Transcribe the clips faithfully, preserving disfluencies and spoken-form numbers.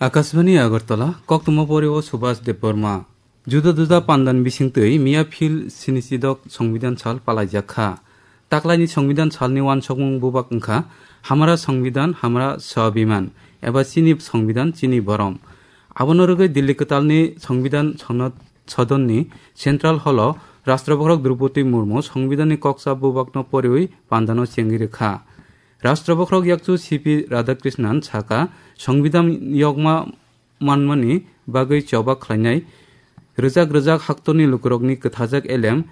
Akashbani Agartala, koktwma pori o Subhas Debbarma. Juda juda pandan bisingtwi miya phil sinisidok Songbidan sal palaijak kha. Taklaini Songbidan salni wansokmung bubak wngkha Hamara Songbidan, Hamara Swabiman, eba Chini Songbidan, Chini Borom. Abono rwgwi Delhi kwtalni Songbidan Sonod Sodonni Central Hall-o Rashtrabhakrok Droupadi Murmu Songbidanni koksa bubakno poriwi pandano chengwi rwkha. Rashtrabhakrok yakchu C P Radhakrishnan saka, Songbidan yokma manmani bagwi choba khlainai rwjak rwjak haktorni lukurokni kwthajak elem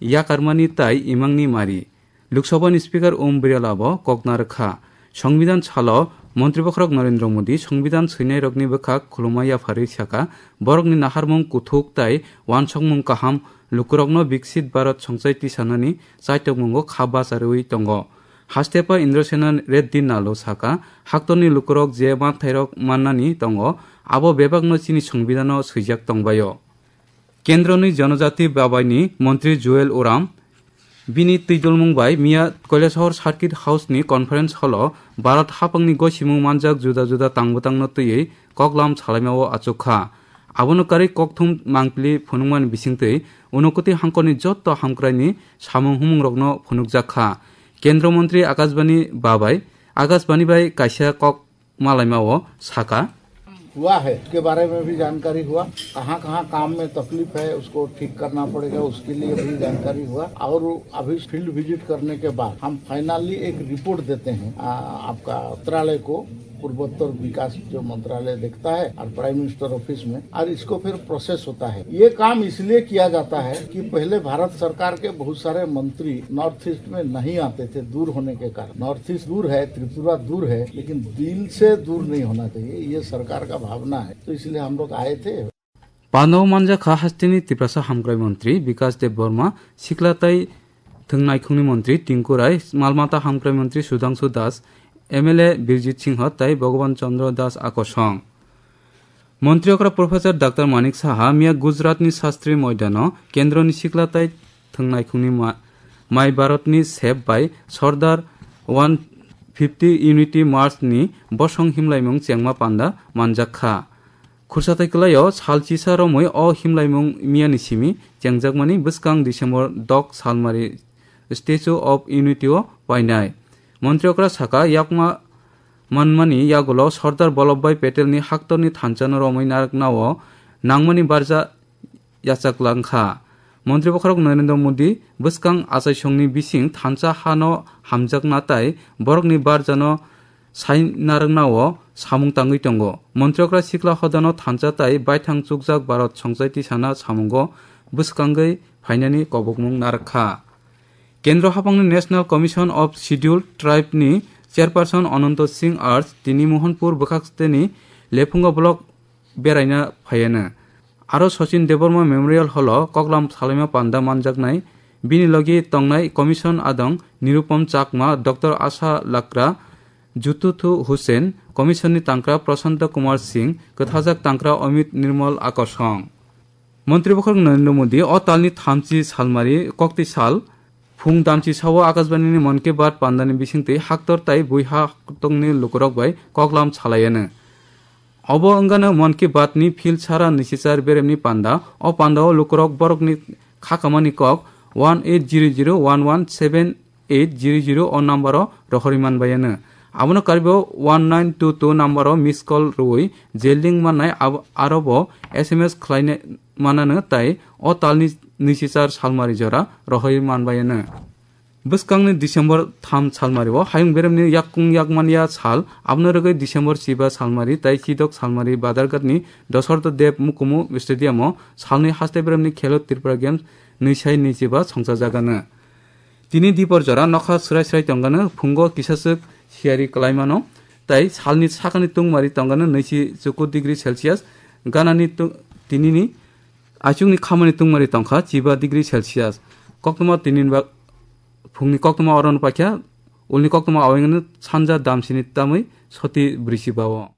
yakarmani tai imangni mari. Lok Sabhani Speaker Om Birla bo kok narwkha. Songbidan salo Montri Bokhorok Narendra Modi Songbidan swinairokni bwkhak khuluma yapharwi saka, borokni naharmung kuthuk tai wansokmung kaham lukurokno Viksit Bharat songchai tisanani chaitokmungo kha bacharwi tongo. Hastepa Indrasena Reddy Nalo saka, haktorni lukurok je manthairok mannani tongo, abo bebakno chini Songbidano swijak tongbaio. Kendroni Jonojati Babaini Montri Juel Oram bini twidulmung bai miya Kailasahar Circuit House ni Conference Hall-o Bharat haphangni gosimung manjak juda juda tangbwtangno twiwi koklam salaimao achukha. Abono karwi kokthum mangpili phunukmani bisingtwi Unakoti hangkorni jotto hamkraini samung humungrokno phunukjak kha. Kendra Montri Akashbani Babai, Akashbani bai kaisa kok malaimao saka. हुआ है, उसके बारे में भी जानकारी हुआ। कहाँ-कहाँ काम में तकलीफ है, उसको ठीक करना पड़ेगा, उसके लिए भी जानकारी हुआ। और अभी फील्ड विजिट करने के बाद हम फाइनली एक रिपोर्ट देते हैं, आ, आपका मंत्रालय को, पूर्वोत्तर विकास जो मंत्रालय देखता है और प्राइम मिनिस्टर ऑफिस में, और इसको फिर प्रोसेस होता है। ये काम इसलिए किया जाता है कि पहले भारत सरकार के बहुत सारे मंत्री नॉर्थ ईस्ट में नहीं आते थे, दूर होने के कारण। नॉर्थ ईस्ट दूर है, त्रिपुरा दूर है, लेकिन दिल से दूर नहीं होना चाहिए, ये सरकार का भावना है। तो इसलिए हम लोग आए थे। Pano manjakha hasteni Tiprasa hamkrai montri Bikas Debbarma, sikla tai thwngnaikhungni montri Tinku Rai, malmata hamkrai montri Sudhangshu Das, M L A Birjit Singha tai Bhagavan Chandra Das akosong. Montri okra Professor Doctor Manik Saha miya Gujaratni Shastri Moidano kendroni sikla tai thwngnaikhungni ma-, Mai Bharatni sep bai Sordar one fifty Unity March ni bosong himlaimung chengma panda manjak kha. Khursa tai kwlaio sal chisa romwi o himlaimung miyani simi chengjakmani bwskang December dok salmari Statue of Unity o painai. Montri okra saka, yakma manmani yagulo Sordar Vallabhbhai Patelni haktorni thanchano romwi narwknao nangmani barja yachaklang kha. Montri Bokhorok Narendra Modi bwskang achaisongni bising thansa hano hamjakna tai borokni barjano sai narwknao samung tangwi tongo. Montri okra sikla hodano thansa tai baithang chukjak Bharat songchai tisana samungo bwskangwi phainani kobokmung narwk kha. Kendro haphangni National Commission of Scheduled Tribe ni Chairperson Ananto Singh Arj tini Mohanpur bwkhaksteni Lephunga block beraina phaiano. Aro Sachin Debbarma Memorial Hall o koklam salaima panda manjaknai bini logi tongnai Commission adong Nirupam Chakma, Doctor Asha Lakra, Jututhu Hussain, Commission ni tangkra Prashanta Kumar Singh, kwthajak tangkra Amit Nirmal akosong. Montri Bokhorok Narendra Modi o talni thamchi salmari kokti sal phung damchi sao Akashbani ni Mann Ki Baat pandani bisingtwi haktor tai buiha tongni lukurok bai koklam salaiano. Obo wngano Mann Ki Baat ni phil sara nisichar beremni panda. O pandao lukurok borokni khakamani kok one eight zero zero one one seven eight zero zero o number o rohorwi manbaiano. Abono karwibo one nine two two number o miss call rwui je link mannai abo, arobo S M S khlaina manano tai o talni nisichar salmari jora rohorwi manbaiano. Bwskangni December tham salmari o hayung beremni yakung yakmanya sal, abono rwgwi December chiba salmari tai chidok salmari Badarghat ni Dasartha Dev Mukumu Stadium o salni haste beremni Khelo Tripura Games nwi sai nwi chiba songchajagano. Tini dipor jora nokha srai srai tongano, phungo kisaswk siyari kwlaimano, tai salni sakani tungmari tongano nwichi chuku degree Celsius, ganani tu-, tinini achukni khamani tungmari tongkha chiba degree Celsius. Koktwma tinin ba phungni koktwma orono paikha, ulni koktwma awengno sanja damsini tamwi soti brisi bao.